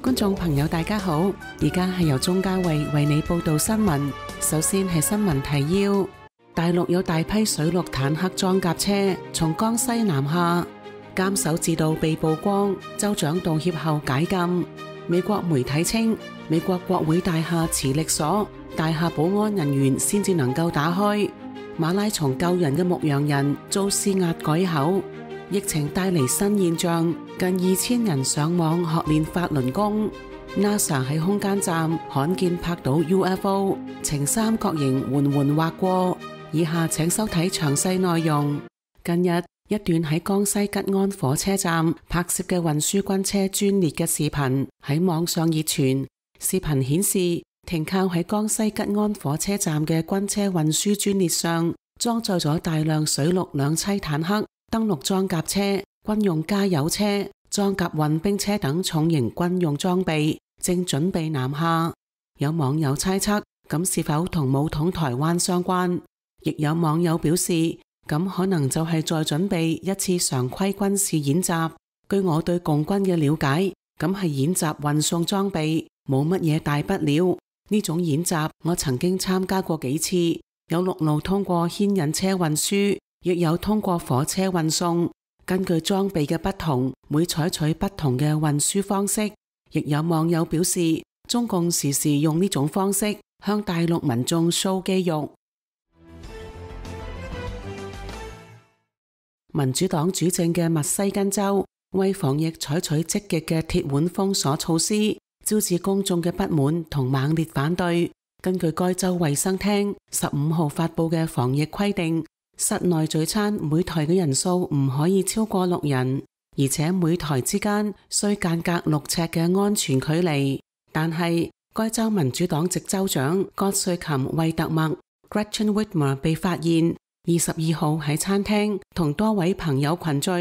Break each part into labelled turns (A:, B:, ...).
A: 觀眾朋友大家好，而家係由鐘嘉慧為你報道新聞。首先係新聞提要：大陸有大批水陸坦克裝甲車從江西南下，監守自盜被曝光，州長道歉後解禁。美國媒體稱，美國國會大廈磁力鎖，大廈保安人員先至能夠打開。馬拉松救人嘅牧羊人遭施壓改口。疫情帶嚟新現象，近2000人上網學練法輪功。NASA 喺空間站罕見拍到 UFO， 呈三角形緩緩劃過。以下請收睇詳細內容。近日，一段喺江西吉安火車站拍攝嘅運輸軍車專列嘅視頻喺網上熱傳。視頻顯示，停靠喺江西吉安火車站嘅軍車運輸專列上，裝載咗大量水陸兩棲坦克、登陸裝甲車、軍用加油車、裝甲運兵車等重型軍用裝備，正準備南下。有網友猜測，咁是否同武統台灣相關？亦有網友表示，咁可能就係在準備一次常規軍事演習。據我對共軍嘅了解，咁係演習運送裝備，冇乜嘢大不了。呢種演習我曾經參加過幾次，有陸路通過牽引車運輸，亦有通過火車運送。根據裝備嘅不同，會採取不同嘅運輸方式。亦有網友表示，中共時時用呢種方式向大陸民眾 show 肌肉。民主黨主政嘅密西根州為防疫採取積極嘅鐵腕封鎖措施，招致公眾嘅不滿同猛烈反對。根據該州衛生廳15號發佈嘅防疫規定，室內聚餐每台嘅人數唔可以超過6人，而且每台之間需間隔6尺嘅安全距離。但係該州民主黨籍州長葛瑞琴惠特默 Gretchen Whitmer 被發現22號喺餐廳同多位朋友群聚，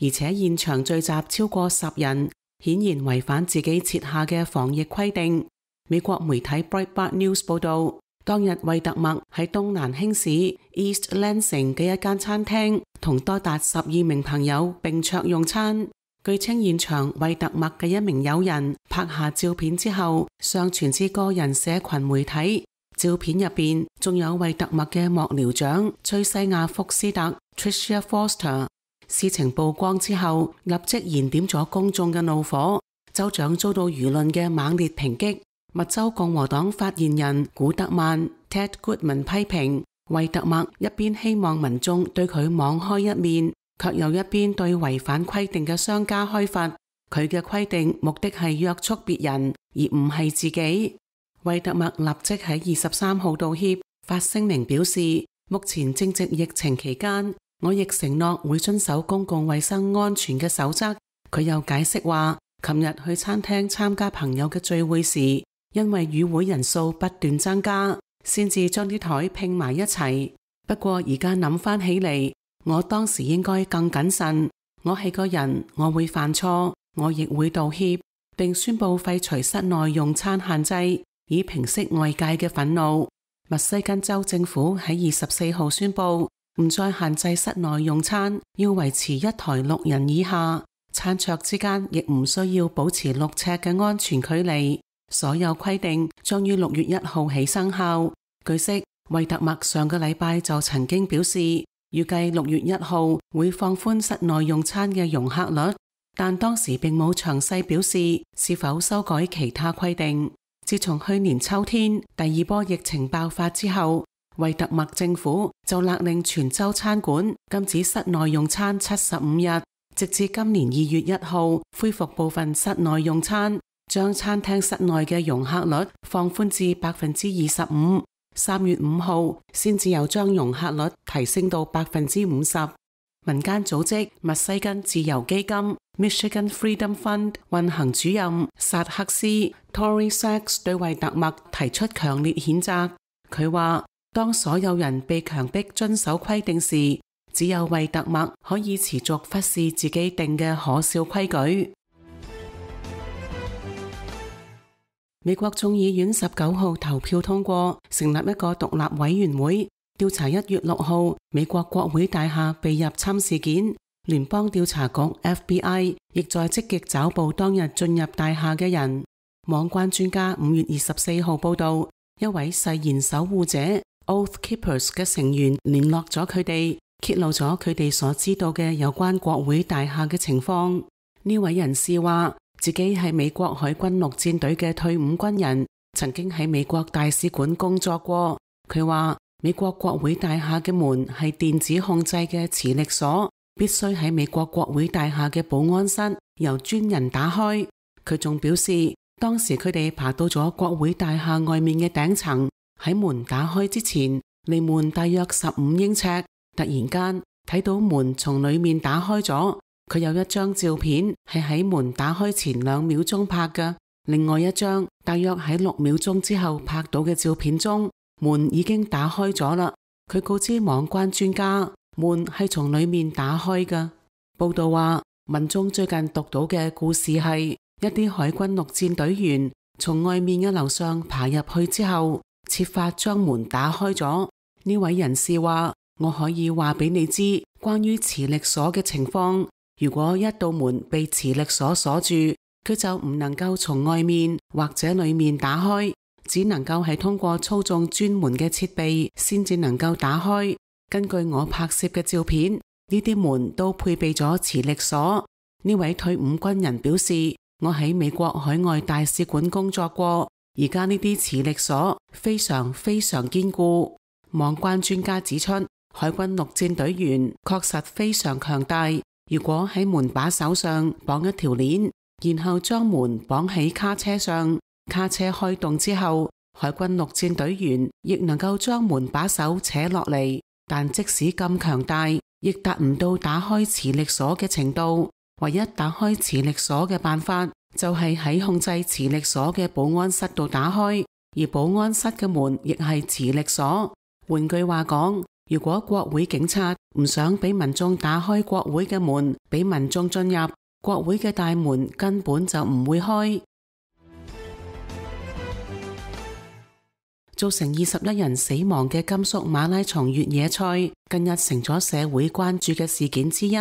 A: 而且現場聚集超過10人，顯然違反自己設下嘅防疫規定。美國媒體 Breitbart News 報道，當日惠特默喺東南興市 East Lansing 嘅一間餐廳同多達12名朋友並桌用餐。據稱現場惠特默嘅一名友人拍下照片之後上傳至個人社群媒體。照片入邊仲有惠特默嘅幕僚長崔西亞福斯特 Tricia Foster。事情曝光之後，立即燃點咗公眾嘅怒火。州長遭到輿論嘅猛烈抨擊。密州共和黨發言人古德曼 Ted Goodman 批評惠特默一邊希望民眾對佢網開一面，卻又一邊對違反規定嘅商家開罰。佢嘅規定目的係約束別人，而唔係自己。惠特默立即喺23號道歉，發聲明表示，目前正值疫情期間，我亦承諾會遵守公共衛生安全嘅守則。佢又解釋話，琴日去餐廳參加朋友嘅聚會時，因為與會人數不斷增加，先至將啲台拼埋一齊。不過而家諗翻起嚟，我當時應該更謹慎。我係個人，我會犯錯，我亦會道歉，並宣布廢除室內用餐限制，以平息外界嘅憤怒。密西根州政府喺24號宣布，唔再限制室內用餐，要維持一台6人以下，餐桌之間亦唔需要保持6尺嘅安全距離。所有規定將於6月1號起生效。據悉，惠特默上個禮拜就曾經表示，預計6月1號會放寬室內用餐嘅容客率，但當時並冇詳細表示是否修改其他規定。自從去年秋天第2波疫情爆發之後，惠特默政府就勒令全州餐館禁止室內用餐75日，直至今年2月1號恢復部分室內用餐，將餐廳室內嘅容客率放寬至 25%。3月5號先至又將容客率提升到 50%。民間組織密西根自由基金 Michigan Freedom Fund 運行主任薩克斯 Tory Sachs 對惠特默提出強烈譴責。佢話，當所有人被強迫遵守規定時，只有惠特默可以持續忽視自己定嘅可笑規矩。美國眾議院19號投票通過成立一個獨立委員會，調查1月6號美國國會大廈被入侵事件，聯邦調查局 FBI 亦在積極找捕當日進入大廈嘅人。網關專家5月24號報道，一位誓言守護者 Oath Keepers 嘅成員聯絡咗佢哋，揭露咗佢哋所知道嘅有關國會大廈嘅情況。呢位人士話自己係美國海軍陸戰隊嘅退伍軍人，曾經喺美國大使館工作過。佢話美國國會大廈嘅門係電子控制嘅磁力鎖，必須喺美國國會大廈嘅保安室由專人打開。佢仲表示，當時佢哋爬到咗國會大廈外面嘅頂層，喺門打開之前，離門大約15英尺，突然間睇到門從裏面打開咗。佢有一張照片係喺門打開前2秒鐘拍嘅，另外一張大約喺6秒鐘之後拍到嘅照片中，門已經打開咗啦。佢告知網關專家，門係從裏面打開嘅。報道話，民眾最近讀到嘅故事係一啲海軍陸戰隊員從外面嘅樓上爬入去之後，設法將門打開咗。呢位人士話，我可以話俾你知關於磁力鎖嘅情況。如果一道門被磁力鎖鎖住，佢就唔能夠從外面或者裏面打開，只能夠係通過操縱專門嘅設備先至能夠打開。根據我拍攝嘅照片，呢啲門都配備咗磁力鎖。呢位退伍軍人表示，我喺美國海外大使館工作過，而家呢啲磁力鎖非常非常堅固。網關專家指出，海軍陸戰隊員確實非常強大。如果喺門把手上綁一條鏈，然後將門綁喺卡車上，卡車開動之後，海軍陸戰隊員亦能夠將門把手扯落嚟。但即使咁強大，亦達唔到打開磁力鎖嘅程度。唯一打開磁力鎖嘅辦法，就係喺控制磁力鎖嘅保安室度打開，而保安室嘅門亦係磁力鎖。換句話講，如果國會警察唔想俾民眾打開國會嘅門，俾民眾進入，國會嘅大門根本就唔會開。造成21人死亡嘅甘肅馬拉松越野賽，近日成咗社會關注嘅事件之一。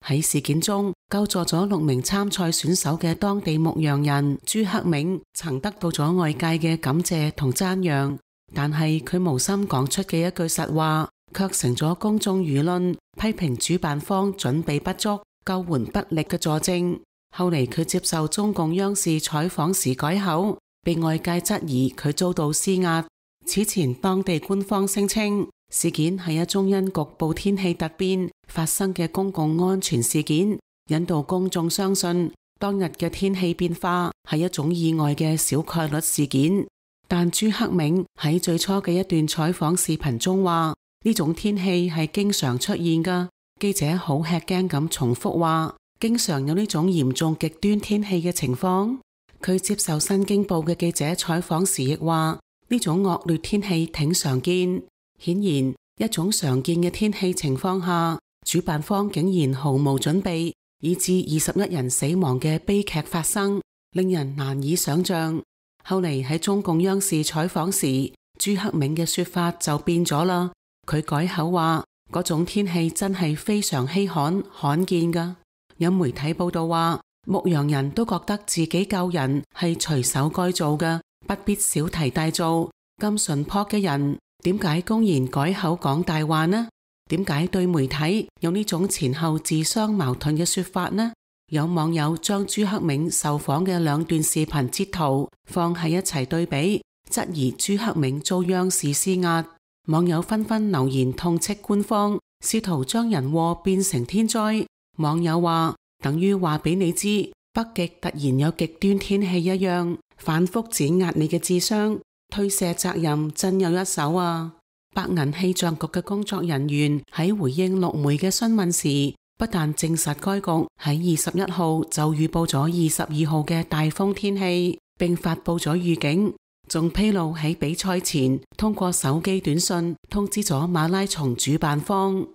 A: 喺事件中，救助咗6名參賽選手嘅當地牧羊人朱克銘，曾得到咗外界嘅感謝同讚揚。但係佢無心講出嘅一句實話，卻成咗公眾輿論批評主辦方準備不足、救援不力嘅佐證。後嚟佢接受中共央視採訪時改口，被外界質疑佢遭到施壓。此前當地官方聲稱，事件係一宗因局部天氣突變發生嘅公共安全事件，引導公眾相信當日嘅天氣變化係一種意外嘅小概率事件。但朱克銘喺最初嘅一段採訪視頻中話，呢種天氣係經常出現㗎。記者好吃驚咁重複話，經常有呢種嚴重極端天氣嘅情況。佢接受新京報嘅記者採訪時亦話，呢種惡劣天氣挺常見。顯然，一種常見嘅天氣情況下，主辦方竟然毫無準備，以致21人死亡嘅悲劇發生，令人難以想象。後嚟喺中共央視採訪時，朱克銘嘅說法就變咗啦。佢改口話，嗰種天氣真係非常稀罕、罕見㗎。有媒體報道話，牧羊人都覺得自己救人係隨手該做嘅，不必小題大做。咁淳樸嘅人，點解公然改口講大話呢？點解對媒體有呢種前後自相矛盾嘅說法呢？有網友將朱克銘受訪嘅2段視頻截圖放喺一齊對比，質疑朱克銘遭央視施壓。網友紛紛留言痛斥官方，試圖將人禍變成天災。網友話，等於話俾你知北極突然有極端天氣一樣，反覆碾壓你嘅智商，推卸責任真有一手啊！白銀氣象局嘅工作人員喺回應陸媒嘅詢問時，不但證實該局喺21號就預報咗22號嘅大風天氣，並發佈咗預警，仲披露喺比賽前通過手機短信通知咗馬拉松主辦方。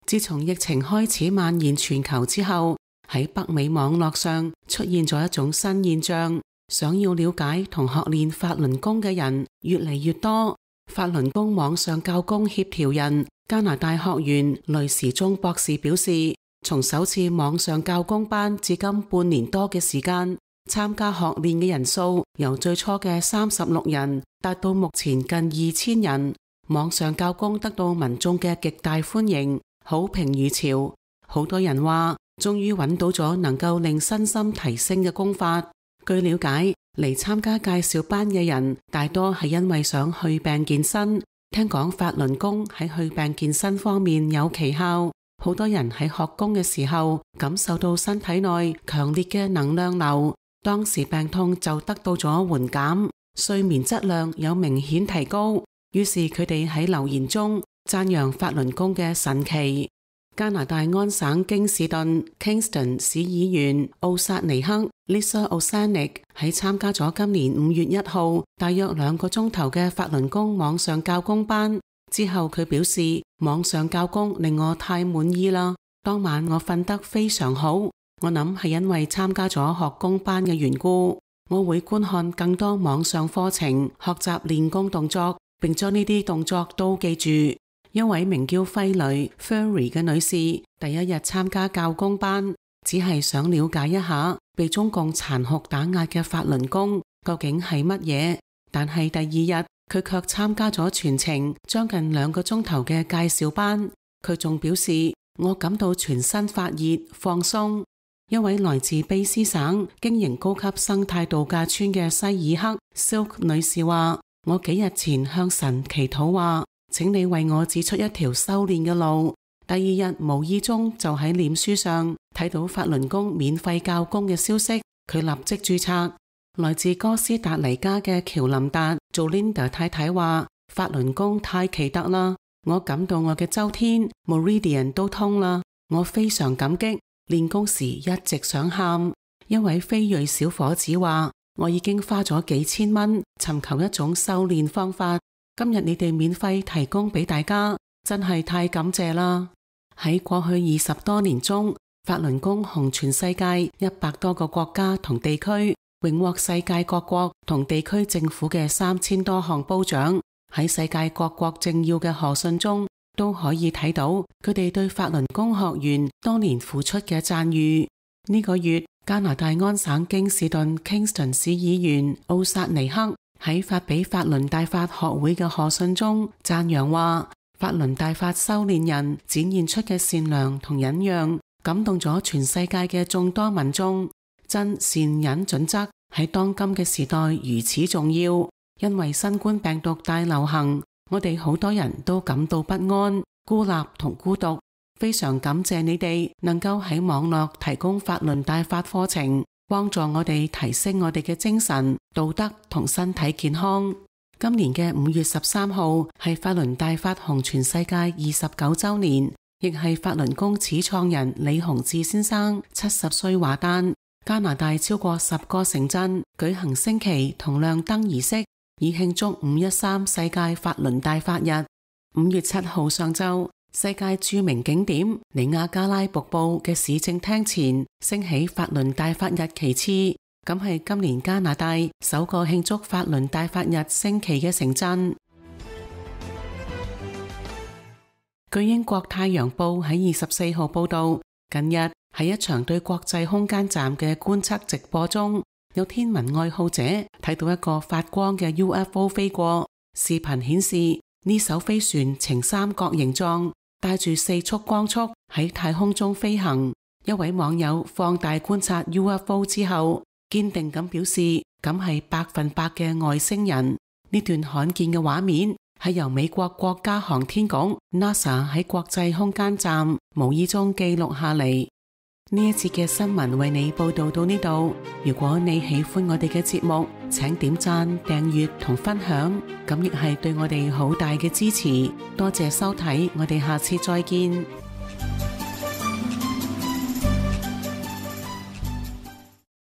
A: 自從疫情開始蔓延全球之後，喺北美網絡上出現咗一種新現象，想要了解同學練法輪功嘅人越嚟越多。法輪功網上教功協調人加拿大學員雷時中博士表示，從首次網上教工班至今半年多嘅時間，參加學練嘅人數由最初嘅36人達到目前近2000人。網上教工得到民眾嘅極大歡迎，好評如潮。好多人話終於揾到咗能夠令身心提升嘅功法。據了解，嚟參加介紹班嘅人大多係因為想去病健身，聽講法輪功喺去病健身方面有奇效。好多人喺學功嘅時候感受到身體內強烈嘅能量流，當時病痛就得到咗緩減，睡眠質量有明顯提高。於是佢哋喺留言中讚揚法輪功嘅神奇。加拿大安省京士頓 Kingston 市議員奧薩尼克 Lisa Osanik 喺參加咗今年5月1號大約2個鐘頭嘅法輪功網上教工班之後，佢表示網上教工令我太滿意啦。當晚我瞓得非常好，我諗係因為參加咗學功班嘅緣故。我會觀看更多網上課程，學習練功動作，並將呢啲動作都記住。一位名叫費雷 Furry 嘅女士第一日參加教工班，只係想了解一下被中共殘酷打壓嘅法輪功究竟係乜嘢。但係第二日佢卻參加咗全程將近2個鐘頭嘅介紹班。佢仲表示，我感到全身發熱放鬆。一位來自卑詩省經營高級生態度假村嘅西爾克 Silk 女士話，我幾日前向神祈禱話，請你為我指出一條修煉嘅路。第二日無意中就喺臉書上睇到法輪功免費教功嘅消息，佢立即註冊。來自哥斯達黎加嘅喬林達做 Linda 太太話，法輪功太奇特啦，我感到我嘅周天 Meridian 都通啦，我非常感激。練功時一直想喊。一位非裔小伙子話，我已經花咗幾千蚊尋求一種修煉方法，今日你哋免費提供俾大家，真係太感謝啦。喺過去20多年中，法輪功紅全世界100多個國家同地區，榮獲世界各國同地區政府嘅3000多項褒獎。喺世界各國政要嘅賀信中都可以睇到佢哋對法輪功學員多年付出嘅讚譽。呢個月，加拿大安省京士頓 Kingston 市議員奧薩尼克喺發俾法輪大法學會嘅賀信中讚揚話，法輪大法修煉人展現出嘅善良同忍讓，感動咗全世界嘅眾多民眾。真善忍準則喺當今嘅時代如此重要，因為新冠病毒大流行，我哋好多人都感到不安、孤立同孤獨。非常感謝你哋能夠喺網絡提供法輪大法課程，幫助我哋提升我哋嘅精神、道德同身體健康。今年嘅5月13號係法輪大法紅全世界29週年，亦係法輪功始創人李洪志先生70歲華誕。加拿大超過10個城鎮舉行升旗同亮燈儀式，以慶祝513世界法輪大法日。5月7號上晝，世界著名景點尼亞加拉瀑布嘅市政廳前升起法輪大法日旗幟，咁係今年加拿大首個慶祝法輪大法日升旗嘅城鎮。據英國太陽報喺24號報道，近日喺一場對國際空間站嘅觀測直播中，有天文愛好者睇到一個發光嘅 UFO 飛過。視頻顯示呢艘飛船呈三角形狀，帶住4束光束喺太空中飛行。一位網友放大觀察 UFO 之後，堅定咁表示咁係100%嘅外星人。呢段罕見嘅畫面係由美國國家航天局 NASA 喺國際空間站無意中記錄下嚟。呢一節嘅新聞為你報道到呢度。如果你喜歡我哋嘅節目，請點讚、訂閱同分享，咁亦係對我哋好大嘅支持。多謝收睇，我哋下次再見。